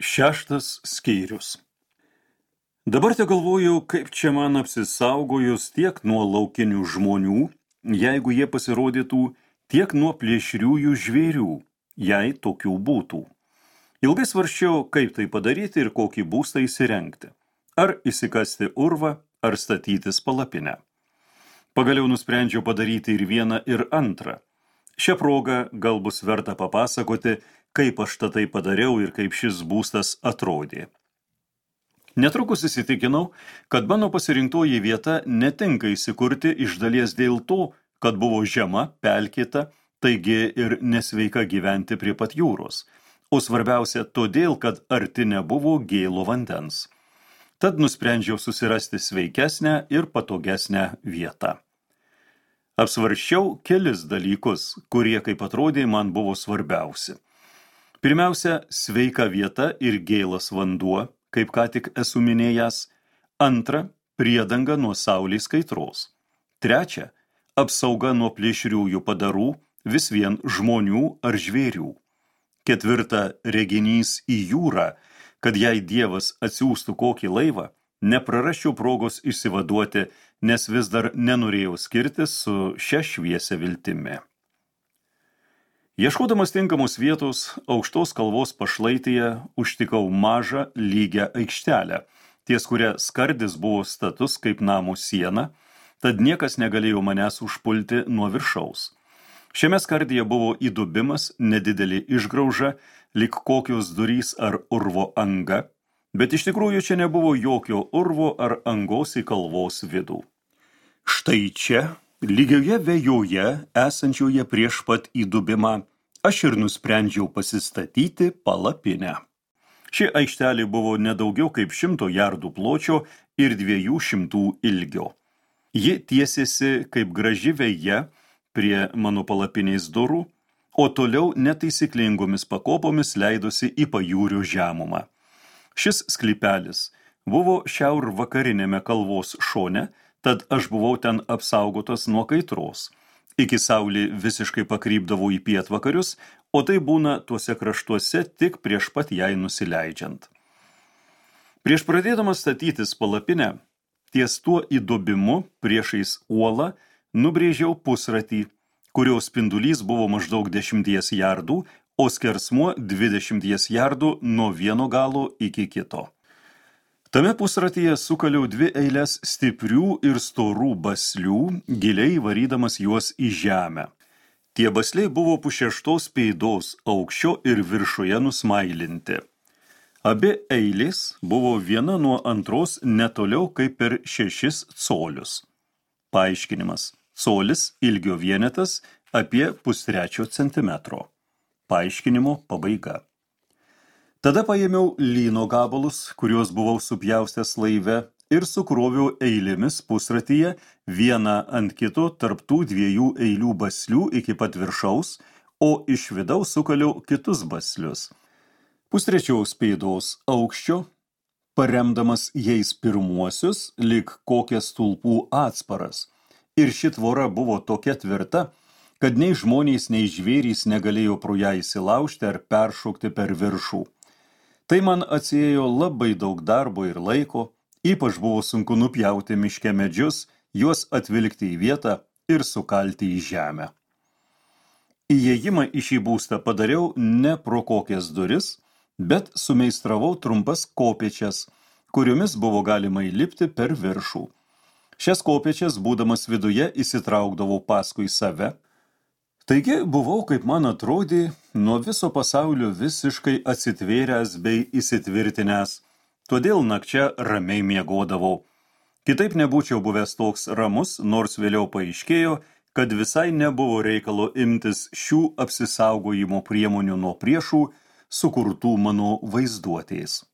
Šeštas skyrius. Dabar te galvoju, kaip čia man apsisaugojus tiek nuo laukinių žmonių, jeigu jie pasirodytų, tiek nuo plėšriųjų žvėrių, jei tokių būtų. Ilgai svarsčiau, kaip tai padaryti ir kokį būstą įsirengti. Ar įsikasti urvą, ar statytis palapinę. Pagaliau nusprendžiau padaryti ir vieną, ir antrą. Šią progą gal bus verta papasakoti, kaip aš tai padariau ir kaip šis būstas atrodė. Netrukus įsitikinau, kad mano pasirinktoji vieta netinka įsikurti iš dalies dėl to, kad buvo žema, pelkėta, taigi ir nesveika gyventi prie pat jūros, o svarbiausia todėl, kad arti nebuvo gėlo vandens. Tad nusprendžiau susirasti sveikesnę ir patogesnę vietą. Apsvarsčiau kelis dalykus, kurie, kaip atrodė, man buvo svarbiausi. Pirmiausia, sveika vieta ir gėlas vanduo, kaip ką tik esu minėjęs. Antra, priedanga nuo saulės kaitros. Trečia, apsauga nuo plėšriųjų padarų, vis vien žmonių ar žvėrių. Ketvirta, reginys į jūrą, kad jei Dievas atsiųstų kokį laivą, neprarasčiau progos išsivaduoti, nes vis dar nenorėjau skirtis su šia šviesia viltimi. Ieškodamas tinkamos vietos, aukštos kalvos pašlaitėje užtikau mažą lygią aikštelę, ties kuria skardis buvo status kaip namo siena, tad niekas negalėjo manęs užpulti nuo viršaus. Šiame skardyje buvo įdubimas, nedidelė išgrauža, lyg kokios durys ar urvo anga, bet iš tikrųjų čia nebuvo jokio urvo ar angos į kalvos vidų. Štai čia, lygioje vejoje, esančioje prieš pat įdubimą, aš ir nusprendžiau pasistatyti palapinę. Ši aikštelė buvo nedaugiau kaip 100 jardų pločio ir 200 ilgio. Ji tiesėsi kaip graži veja prie mano palapinės durų, o toliau netaisyklingomis pakopomis leidosi į pajūrio žemumą. Šis sklypelis buvo šiaurvakarinėme kalvos šone, tad aš buvau ten apsaugotas nuo kaitros. Iki saulė visiškai pakrypdavo į pietvakarius, o tai būna tuose kraštuose tik prieš pat jai nusileidžiant. Prieš pradėdamas statytis palapinę, ties tuo įdubimu priešais uolą nubrėžiau pusratį, kurio spindulys buvo maždaug 10 jardų, o skersmuo 20 jardų nuo vieno galo iki kito. Tame pusratyje sukaliau 2 eiles stiprių ir storų baslių, giliai varydamas juos į žemę. Tie basliai buvo pu6 pėdos aukščio ir viršuje nusmailinti. Abi eilės buvo viena nuo antros netoliau kaip per 6 colius. Paaiškinimas. Colis ilgio vienetas apie 0,5 centimetro. Paaiškinimo pabaiga. Tada paėmiau lyno gabalus, kuriuos buvau supjaustęs laive, ir sukroviau eilėmis pusratyje vieną ant kito tarp tų 2 eilių baslių iki pat viršaus, o iš vidaus sukaliau kitus baslius. 0,5 pėdos aukščio, paremdamas jais pirmuosius, lyg kokias stulpų atsparas. Ir ši tvora buvo tokia tvirta, kad nei žmonės, nei žvėrys negalėjo pro ją įsilaužti ar peršokti per viršų. Tai man atsiėjo labai daug darbo ir laiko, ypač buvo sunku nupjauti miške medžius, juos atvilkti į vietą ir sukalti į žemę. Įėjimą į šį būstą padariau ne pro kokias duris, bet sumeistravau trumpas kopėčias, kuriomis buvo galima įlipti per viršų. Šias kopėčias, būdamas viduje, įsitraukdavau paskui save. Taigi buvau, kaip man atrodė, nuo viso pasaulio visiškai atsitvėręs bei įsitvirtinęs, todėl nakčia ramiai miegodavau. Kitaip nebūčiau buvęs toks ramus, nors vėliau paaiškėjo, kad visai nebuvo reikalo imtis šių apsisaugojimo priemonių nuo priešų, sukurtų mano vaizduotės.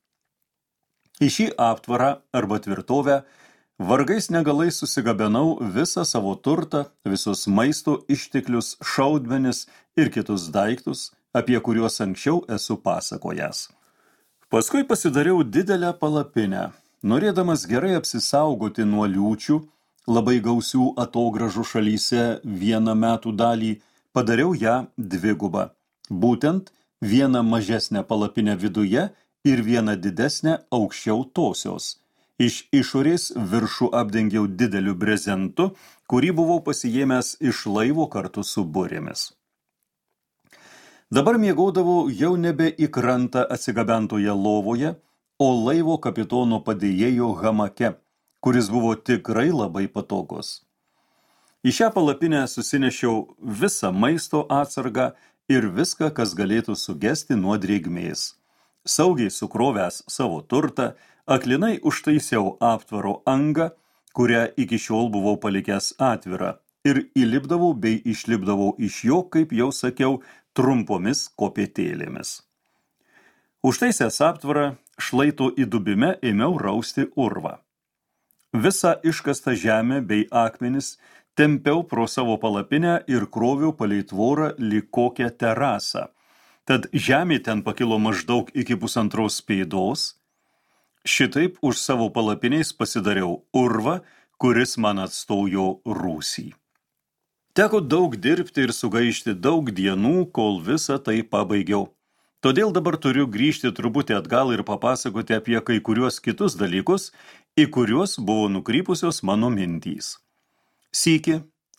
Į šį aptvarą arba tvirtovę vargais negalais susigabenau visą savo turtą, visus maisto išteklius, šaudmenis ir kitus daiktus, apie kuriuos anksčiau esu pasakojęs. Paskui pasidariau didelę palapinę, norėdamas gerai apsisaugoti nuo liūčių, labai gausių atogražų šalyse vieną metų dalį, padariau ją dvigubą. Būtent vieną mažesnę palapinę viduje ir vieną didesnę aukščiau tosios. Iš išorės viršų apdengiau dideliu brezentu, kurį buvau pasiėmęs iš laivo kartu su burėmis. Dabar miegodavau jau nebe į krantą atsigabentoje lovoje, o laivo kapitono padėjėjo hamake, kuris buvo tikrai labai patogus. Į šią palapinę susinešiau visą maisto atsargą ir viską, kas galėtų sugesti nuo drėgmės. Saugiai sukrovęs savo turtą, aklinai užtaisiau aptvaro angą, kurią iki šiol buvau palikęs atvirą, ir įlipdavau bei išlipdavau iš jo, kaip jau sakiau, trumpomis kopėtėlėmis. Užtaisęs aptvarą, šlaito įdubime ėmiau rausti urvą. Visą iškastą žemę bei akmenis tempiau pro savo palapinę ir kroviau palei tvorą lyg kokią terasą. Tad žemė ten pakilo maždaug iki 1,5 pėdos. Šitaip už savo palapiniais pasidariau urvą, kuris man atstojo rūsį. Teko daug dirbti ir sugaišti daug dienų, kol visą tai pabaigiau. Todėl dabar turiu grįžti truputį atgal ir papasakoti apie kai kuriuos kitus dalykus, į kuriuos buvo nukrypusios mano mintys. Sykį,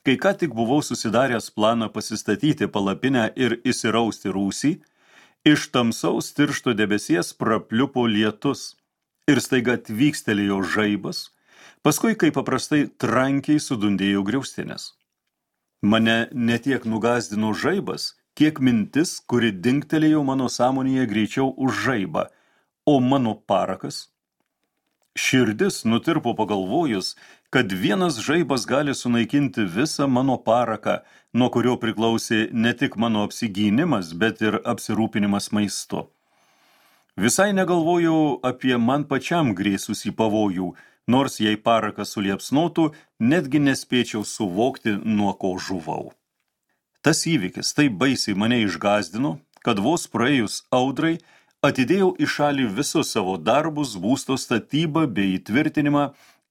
kai ką tik buvau susidaręs planą pasistatyti palapinę ir įsirausti rūsį, iš tamsaus tiršto debesies prapliupo lietus ir staiga tvykstelėjo žaibas, paskui, kaip paprastai, trankiai sudundėjo griaustinis. Mane netiek nugazdino žaibas, kiek mintis, kuri dingtelėjo mano sąmonėje greičiau už žaibą, o mano parakas. Širdis nutirpo pagalvojus, kad vienas žaibas gali sunaikinti visą mano paraką, nuo kurio priklausė ne tik mano apsigynimas, bet ir apsirūpinimas maistu. Visai negalvojau apie man pačiam grėsusį pavojų, nors jei parakas suliepsnotų, netgi nespėčiau suvokti, nuo ko žuvau. Tas įvykis taip baisiai mane išgazdino, kad vos praėjus audrai atidėjau į šalį visus savo darbus, būsto statybą bei įtvirtinimą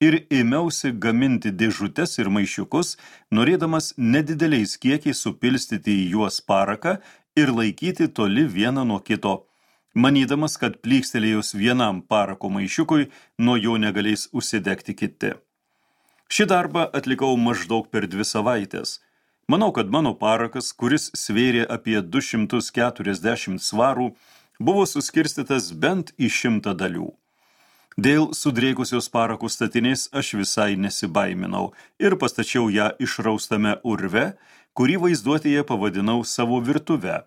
ir ėmiausi gaminti dėžutes ir maišiukus, norėdamas nedideliais kiekiais supilstyti į juos paraką ir laikyti toli vieną nuo kito, manydamas, kad plykstelėjus vienam parako maišiukui, nuo jo negalės užsidegti kiti. Šį darbą atlikau maždaug per 2 savaitės. Manau, kad mano parakas, kuris svėrė apie 240 svarų, buvo suskirstytas bent į 100 dalių. Dėl sudrėkusios parakų statinės aš visai nesibaiminau ir pastačiau ją išraustame urve, kurį vaizduotėje pavadinau savo virtuve,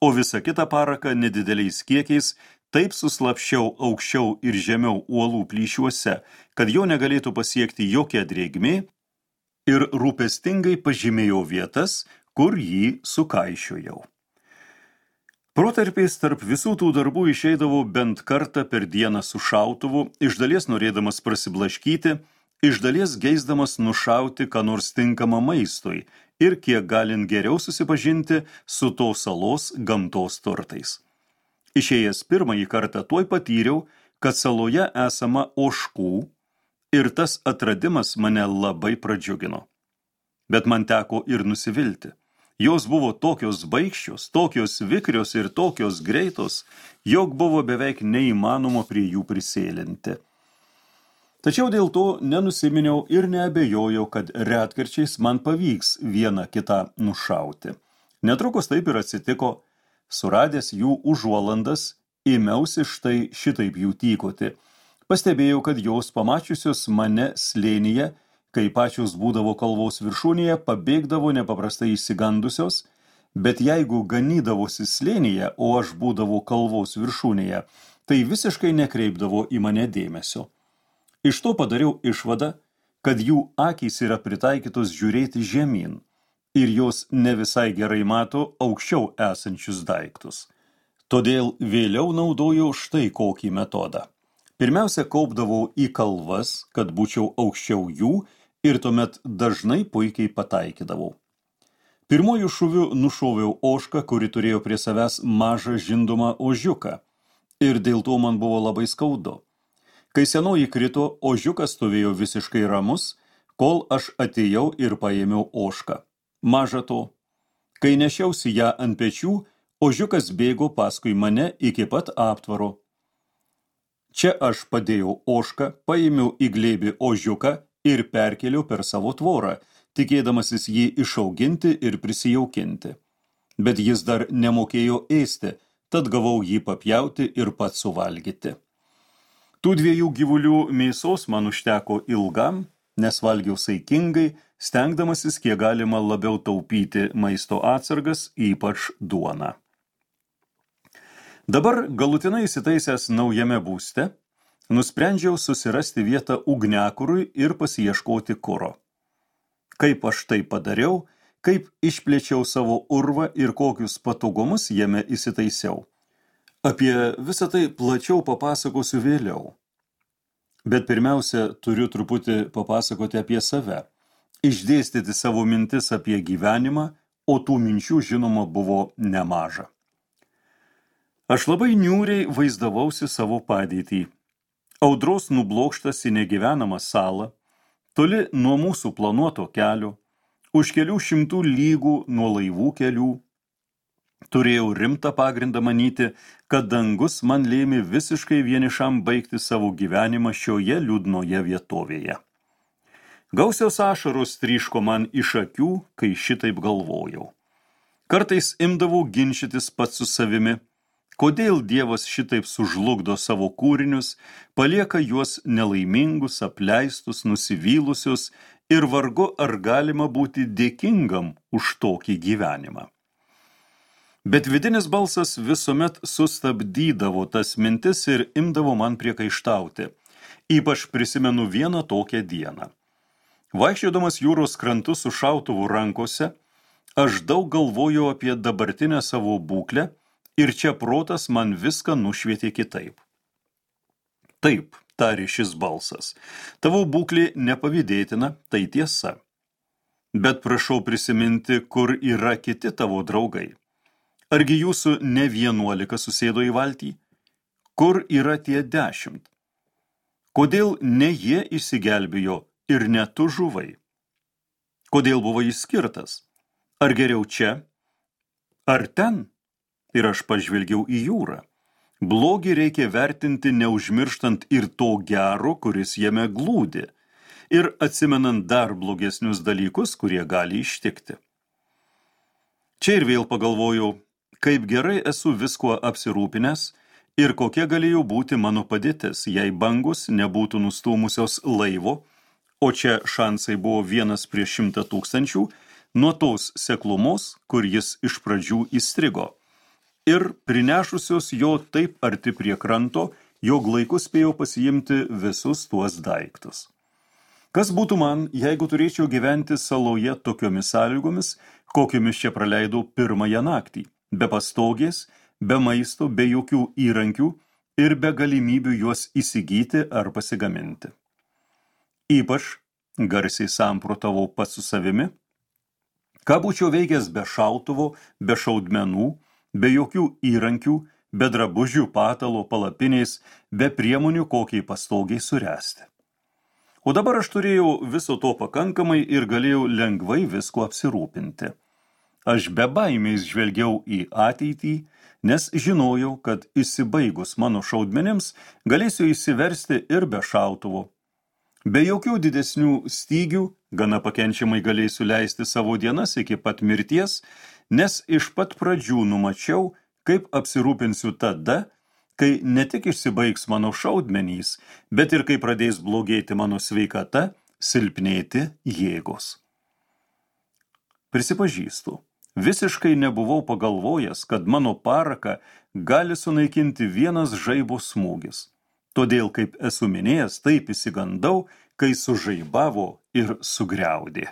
o visą kitą paraką nedideliais kiekiais taip suslapščiau aukščiau ir žemiau uolų plyšiuose, kad jo negalėtų pasiekti jokia drėgmė, ir rūpestingai pažymėjau vietas, kur jį sukaišiojau. Protarpiais tarp visų tų darbų išeidavau bent kartą per dieną su šautuvu, iš dalies norėdamas prasiblaškyti, iš dalies geisdamas nušauti ką nors tinkamą maistui ir kiek galint geriau susipažinti su tos salos gamtos turtais. Išėjęs pirmąjį kartą tuoj patyriau, kad saloje esama ožkų ir tas atradimas mane labai pradžiugino. Bet man teko ir nusivilti. Jos buvo tokios baikščios, tokios vikrios ir tokios greitos, jog buvo beveik neįmanoma prie jų prisėlinti. Tačiau dėl to nenusiminiau ir neabejojau, kad retkarčiais man pavyks vieną kitą nušauti. Netrukus taip ir atsitiko. Suradęs jų užuolandas, ėmiausi štai šitaip jų tykoti. Pastebėjau, kad jos pamačiusios mane slėnyje, kai pačios būdavo kalvos viršūnėje, pabėgdavo nepaprastai išsigandusios, bet jeigu ganydavosi slėnyje, o aš būdavau kalvos viršūnėje, tai visiškai nekreipdavo į mane dėmesio. Iš to padariau išvadą, kad jų akys yra pritaikytos žiūrėti žemyn ir jos ne visai gerai mato aukščiau esančius daiktus. Todėl vėliau naudojau štai kokį metodą. Pirmiausia, kaupdavau į kalvas, kad būčiau aukščiau jų, ir tuomet dažnai puikiai pataikydavau. Pirmojų šūvių nušoviau ožką, kuri turėjo prie savęs mažą žindomą ožiuką, ir dėl to man buvo labai skaudu. Kai senoji krito, ožiukas stovėjo visiškai ramus, kol aš atėjau ir paėmiau ožką. Maža to, kai nešiausi ją ant pečių, ožiukas bėgo paskui mane iki pat aptvaro. Čia aš padėjau ožką, paėmiau į glėbį ožiuką ir perkėliau per savo tvorą, tikėdamasis jį išauginti ir prisijaukinti. Bet jis dar nemokėjo ėsti, tad gavau jį papjauti ir pats suvalgyti. Tų 2 gyvulių mėsos man užteko ilgam, nes valgiau saikingai, stengdamasis kiek galima labiau taupyti maisto atsargas, ypač duoną. Dabar galutinai įsitaisęs naujame būste, nusprendžiau susirasti vietą ugniakurui ir pasiieškoti kuro. Kaip aš tai padariau, kaip išplėčiau savo urvą ir kokius patogumus jame įsitaisiau. Apie visą tai plačiau papasakosiu vėliau. Bet pirmiausia, turiu truputį papasakoti apie save, išdėstyti savo mintis apie gyvenimą, o tų minčių žinoma buvo nemaža. Aš labai niūriai vaizdavausi savo padėtį. Audros nublokštas į negyvenamą salą, toli nuo mūsų planuoto kelio, už kelių šimtų lygų nuo laivų kelių. Turėjau rimtą pagrindą manyti, kad dangus man lėmė visiškai vienišam baigti savo gyvenimą šioje liūdnoje vietovėje. Gausios ašaros tryško man iš akių, kai šitaip galvojau. Kartais imdavau ginčytis pats su savimi, kodėl Dievas šitaip sužlugdo savo kūrinius, palieka juos nelaimingus, apleistus, nusivylusius ir vargu ar galima būti dėkingam už tokį gyvenimą. Bet vidinis balsas visuomet sustabdydavo tas mintis ir imdavo man priekaištauti. Ypač prisimenu vieną tokią dieną. Vaikščiodamas jūros krantu su šautuvu rankose, aš daug galvojau apie dabartinę savo būklę, ir čia protas man viską nušvietė kitaip. Taip, tarė šis balsas, tavo būklė nepavydėtina, tai tiesa. Bet prašau prisiminti, kur yra kiti tavo draugai. Argi jūsų ne 11 susėdo į valtį? Kur yra tie 10? Kodėl ne jie išsigelbėjo ir ne tu žuvai? Kodėl buvo išskirtas? Ar geriau čia? Ar ten? Ir aš pažvelgiau į jūrą. Blogį reikia vertinti neužmirštant ir to gero, kuris jame glūdi, ir atsimenant dar blogesnius dalykus, kurie gali ištikti. Čia ir vėl pagalvojau, kaip gerai esu viskuo apsirūpinęs ir kokia galėjo būti mano padėtis, jei bangus nebūtų nustūmusios laivo, o čia šansai buvo 1 prieš 100 000, nuo tos seklumos, kur jis iš pradžių įstrigo. Ir prinešusios jo taip arti prie kranto, jog laiku spėjau pasiimti visus tuos daiktus. Kas būtų man, jeigu turėčiau gyventi saloje tokiomis sąlygomis, kokiomis čia praleidau pirmąją naktį, be pastogės, be maisto, be jokių įrankių ir be galimybių juos įsigyti ar pasigaminti. Ypač garsiai samprotavau pats su savimi, ką būčiau veikęs be šautuvo, be šaudmenų, be jokių įrankių, be drabužių, patalo, palapinės, be priemonių kokiai pastogiai suresti. O dabar aš turėjau viso to pakankamai ir galėjau lengvai visko apsirūpinti. Aš be baimės žvelgiau į ateitį, nes žinojau, kad išsibaigus mano šaudmenims galėsiu įsiversti ir be šautuvo. Be jokių didesnių stygių, gana pakenčiamai galėsiu leisti savo dienas iki pat mirties, nes iš pat pradžių numačiau, kaip apsirūpinsiu tada, kai ne tik išsibaigs mano šaudmenys, bet ir kai pradės blogėti mano sveikata, silpnėti jėgos. Prisipažįstu, visiškai nebuvau pagalvojęs, kad mano paraką gali sunaikinti vienas žaibo smūgis. Todėl, kaip esu minėjęs, taip įsigandau, kai sužaibavo ir sugriaudė.